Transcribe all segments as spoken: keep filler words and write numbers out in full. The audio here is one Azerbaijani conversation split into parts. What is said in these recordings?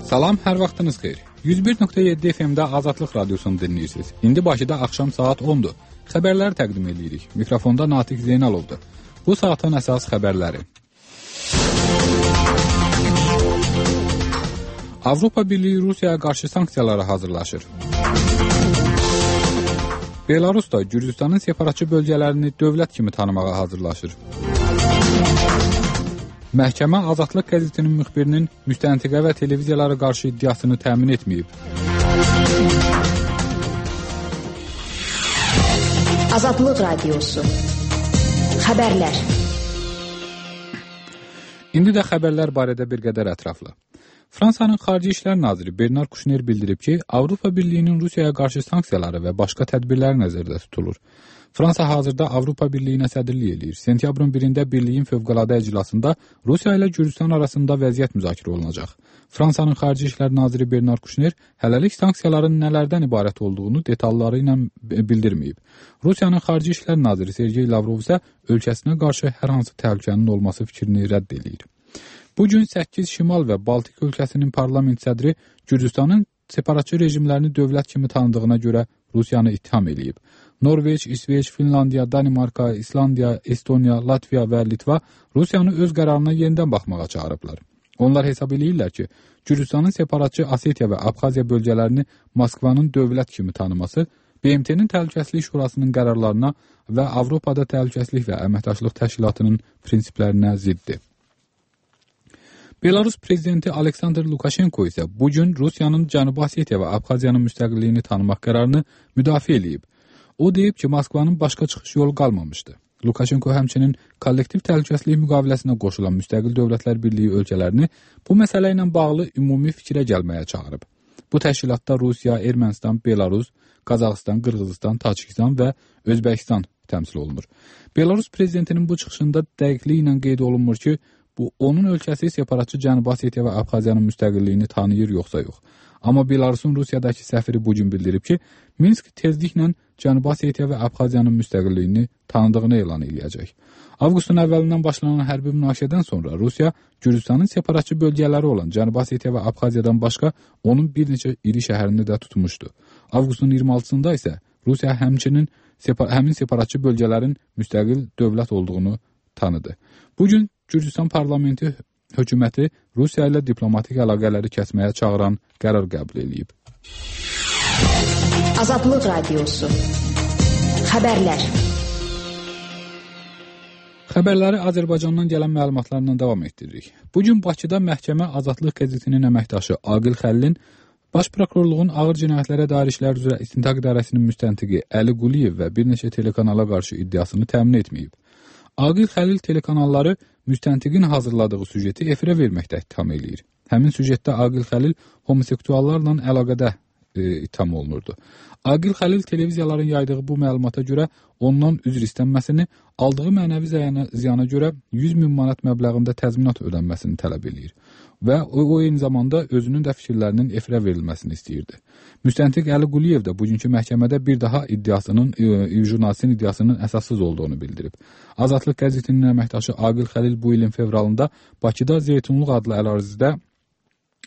Salam, hər vaxtınız xeyir. yüz bir nöqtə yeddi F M-də Azadlıq Radiosunu dinləyirsiniz. İndi Bakıda axşam saat ondur. Xəbərləri təqdim edirik. Mikrofonda Natiq Zeynalovdur. Bu saatın əsas xəbərləri. Avropa Birliyi Rusiyaya qarşı sanksiyalara hazırlaşır. Belarus da Gürcüstanın separatçı bölgələrini dövlət kimi tanımağa hazırlaşır. Məhkəmə Azadlıq qəzetinin müxbirinin müstəntiqə və televiziyalara qarşı iddiasını təmin etməyib. Azadlıq Radiosu. Xəbərlər. İndi də xəbərlər barədə bir qədər ətraflı. Fransanın Xarici İşlər Naziri Bernard Kouchner bildirib ki, Avropa Birliyinin Rusiyaya qarşı sanksiyaları və başqa tədbirlər nəzərdə tutulur. Fransa hazırda Avropa Birliyinə sədrlik eləyir. Sentyabrın birində Birliyin fövqəladə iclasında Rusiya ilə Gürcüstan arasında vəziyyət müzakirə olunacaq. Fransanın Xarici İşlər Naziri Bernard Kouchner hələlik sanksiyaların nələrdən ibarət olduğunu detalları ilə bildirməyib. Rusiyanın Xarici İşlər Naziri Sergey Lavrov isə ölkəsinə qarşı hər hansı təhlükənin olması fikrini rədd eləyir. Bugün səkkiz Şimal və Baltik ölkəsinin parlament sədri Gürcüstanın separatçı rejimlərini dövlət kimi tanıdığına görə Rusiyanı ittiham eləyib. Norveç, İsveç, Finlandiya, Danimarka, İslandiya, Estoniya, Latviya və Litva Rusiyanı öz qərarına yenidən baxmağa çağırıblar. Onlar hesab eləyirlər ki, Gürcüstanın separatçı Asetiya və Abxaziya bölgələrini Moskvanın dövlət kimi tanıması B M T-nin Təhlükəsizlik Şurasının qərarlarına və Avropada Təhlükəsizlik və Əməkdaşlıq Təşkilatının prinsiplərinə ziddir. Belarus prezidenti Aleksandr Lukashenko isə bugün Rusiyanın Cənubi Asetiya və Abxaziyanın müstəqilliyini tanımaq qərarını müdafiə eləyib. O deyib ki, Moskvanın başqa çıxış yolu qalmamışdı. Lukashenko həmçinin kollektiv təhlükəsizlik müqaviləsinə qoşulan müstəqil dövlətlər birliyi ölkələrini bu məsələ ilə bağlı ümumi fikrə gəlməyə çağırıb. Bu təşkilatda Rusiya, Ermənistan, Belarus, Qazaxıstan, Qırğızıstan, Tacikistan və Özbəkistan təmsil olunur. Belarus prezidentinin bu çıxışında dəqiqliyi ilə qeyd olunmur ki, bu onun ölkəsi separatçı Cənubi Asetiya və Abxaziyanın müstəqilliyini tanıyır yoxsa yox. Amma Belarusun Rusiyadakı səfiri bugün bildirib ki, Minsk tezliklə Cənubi Asetiya və Abxaziyanın müstəqilliyini tanıdığını elan edəcək. Avqustun əvvəlindən başlanan hərbi münaqişədən sonra Rusiya Gürcüstanın separatçı bölgələri olan Cənubi Asetiya və Abxaziyadan başqa onun bir neçə iri şəhərini də tutmuşdu. Avqustun iyirmi altısında isə Rusiya həmçinin separ həmin separatçı bölgələrin müstəqil dövlət olduğunu tanıdı. Bugün Gürcüstan parlamenti hökuməti Rusiya ilə diplomatik əlaqələri kəsməyə çağıran qərar qəbul edib. Azadlıq Radiosu. Xəbərlər. Xəbərləri Azərbaycandan gələn məlumatlarla davam etdiririk. Bugün Bakıda məhkəmə Azadlıq qəzetinin əməkdaşı Aqil Xəlilin Baş Prokurorluğun Ağır Cinayətlərə Dair İşlər üzrə İstintaq İdarəsinin müstəntiqi Əli Quliyev və bir neçə telekanala qarşı iddiasını təmin etməyib. Aqil Xəlil telekanalları müstəntiqin hazırladığı süjeti efirə verməkdə ittiham eləyir. Həmin süjetdə Aqil Xəlil homoseksuallarla əlaqədə e, ittiham olunurdu. Aqil Xəlil televiziyaların yaydığı bu məlumata görə ondan üzr istənməsini, aldığı mənəvi ziyana, ziyana görə yüz min manat məbləğində təzminat ödənməsini tələb eləyir və o, o eyni zamanda özünün də fikirlərinin efirə verilməsini istəyirdi. Müstəntiq Əli Quliyev də bugünkü məhkəmədə bir daha iddiasının, e, jurnalistin iddiasının əsassız olduğunu bildirib. Azadlıq qəzetinin əməkdaşı Aqil Xəlil bu ilin fevralında Bakıda Zeytunluq adlı ərazidə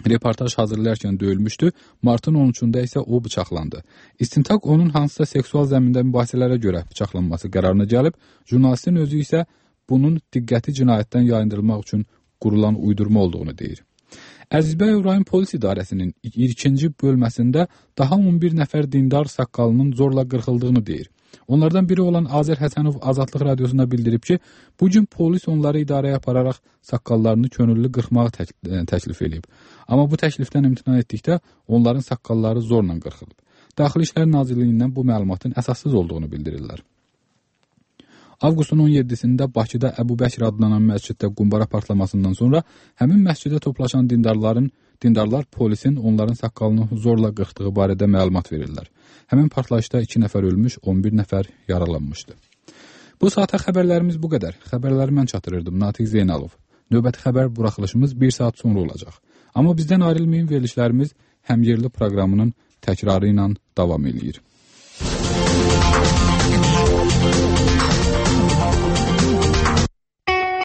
reportaj hazırlayarkən döyülmüşdü. Martın on üçündə isə o bıçaqlandı. İstintaq onun hansısa seksual zəmində mübahisələrə görə bıçaqlanması qərarına gəlib, jurnalistin özü isə bunun diqqəti cinayətdən yayındırılmaq üçün qurulan uydurma olduğunu deyir. Əzizbəy rayon polis idarəsinin ikinci bölməsində daha on bir nəfər dindar saqqalının zorla qırxıldığını deyir. Onlardan biri olan Azər Həsənov Azadlıq Radiosuna bildirib ki, bugün polis onları idarəyə apararaq saqqallarını könüllü qırxmağı tək təklif edib. Amma bu təklifdən imtina etdikdə onların saqqalları zorla qırxılıb. Daxili İşlər Nazirliyindən bu məlumatın əsassız olduğunu bildirirlər. Avqustun on yeddisində Bakıda Əbu Bəkir adlanan məsciddə qumbara partlamasından sonra həmin məscidə toplaşan dindarların dindarlar polisin onların saqqalını zorla qırxdığı barədə məlumat verirlər. Həmin partlayışda iki nəfər ölmüş, on bir nəfər yaralanmışdı. Bu saata xəbərlərimiz bu qədər. Xəbərləri mən çatdırırdım, Natiq Zeynalov. Növbəti xəbər buraxılışımız bir saat sonra olacaq. Amma bizdən ayrılmayın, verilişlərimiz həmyerli proqramının təkrarı ilə davam edir.